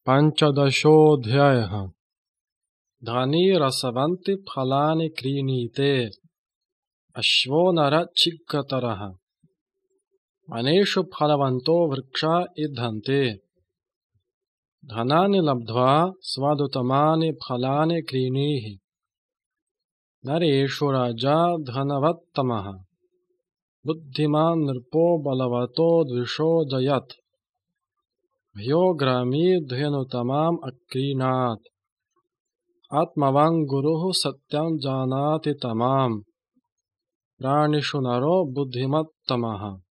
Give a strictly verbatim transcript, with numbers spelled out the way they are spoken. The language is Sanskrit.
पञ्चदशोऽध्यायः। धनी रसवन्ति फलानि क्रीणीते, अश्वो नरच्छिद्रतरः। वनेषु फलवन्तो वृक्षा इद्धन्ते, धनानि लब्ध्वा स्वादुत्तमानि फलानि क्रीणीहि। नरेषु राजा धनवत्तमः, बुद्धिमान् नृपो बलवतो द्विषो जयत्। भयो ग्रामी धेनुतमाम् अक्रीणात्, आत्मवान् गुरुः सत्यं जानाति तमाम्। प्राणिषु नरो बुद्धिमत्तमः,